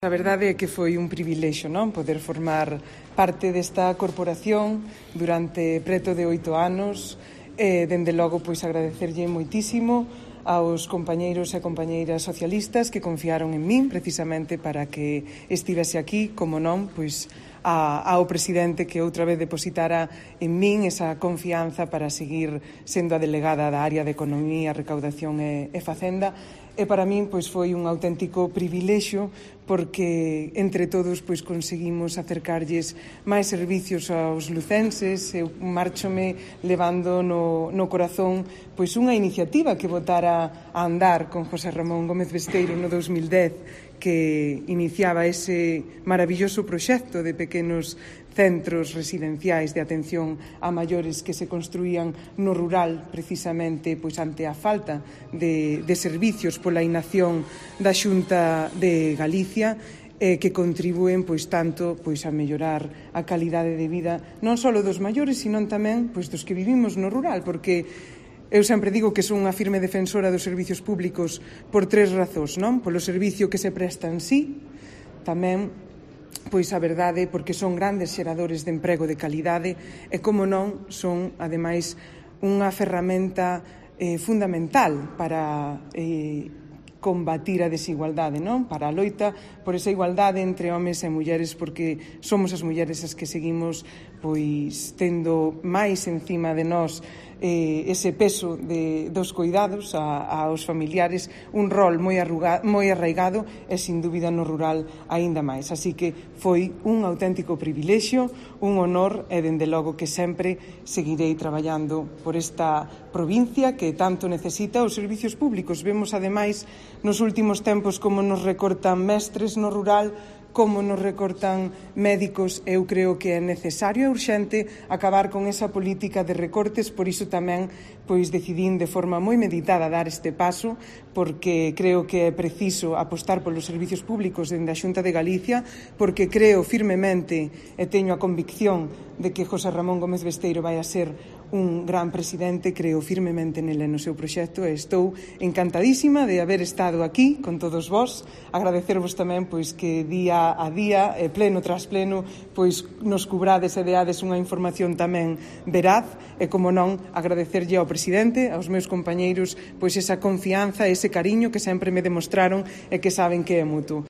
A verdade é que foi un privilexio, non, poder formar parte desta corporación durante preto de 8 anos e, dende logo, pois agradecerlle moitísimo aos compañeiros e compañeiras socialistas que confiaron en min precisamente para que estivese aquí, como non, pois ao presidente que outra vez depositara en min esa confianza para seguir sendo a delegada da área de Economía, Recaudación e Facenda. E para min pois foi un auténtico privilexio porque entre todos pois conseguimos acercarlles máis servicios aos lucenses. Eu márchome levando no corazón pois unha iniciativa que botara a andar con José Ramón Gómez Besteiro no 2010 que iniciaba ese maravilloso proxecto de pequenos centros residenciais de atención a maiores que se construían no rural precisamente pois ante a falta de servicios pola inacción da Xunta de Galicia que contribúen pois tanto pois a mellorar a calidade de vida non só dos maiores, sino tamén pois dos que vivimos no rural, porque eu sempre digo que son unha firme defensora dos servicios públicos por 3 razóns, non? Polo servicio que se presta en sí, tamén pois a verdade porque son grandes xeradores de emprego de calidade e, como non, son, ademais, unha ferramenta fundamental para combatir a desigualdade, non? Para a loita por esa igualdade entre homes e mulleres, porque somos as mulleres as que seguimos pois tendo máis encima de nós ese peso dos cuidados aos familiares, un rol moi arraigado e, sin dúbida, no rural aínda máis. Así que foi un auténtico privilexio, un honor e, dende logo, que sempre seguirei traballando por esta provincia que tanto necesita os servicios públicos. Vemos, ademais, nos últimos tempos como nos recortan mestres no rural, como nos recortan médicos. Eu creo que é necesario e urxente acabar con esa política de recortes, por iso tamén pois decidín de forma moi meditada dar este paso, porque creo que é preciso apostar polos servicios públicos dende a Xunta de Galicia, porque creo firmemente e teño a convicción de que José Ramón Gómez Besteiro vai a ser un gran presidente. Creo firmemente nele no seu proxecto e estou encantadísima de haber estado aquí con todos vós. Agradecervos tamén pois que día a día, pleno tras pleno, pois nos cubrades e deades unha información tamén veraz e, como non, agradecerlle ao presidente, aos meus compañeiros, pois esa confianza, ese cariño que sempre me demostraron e que saben que é mutuo.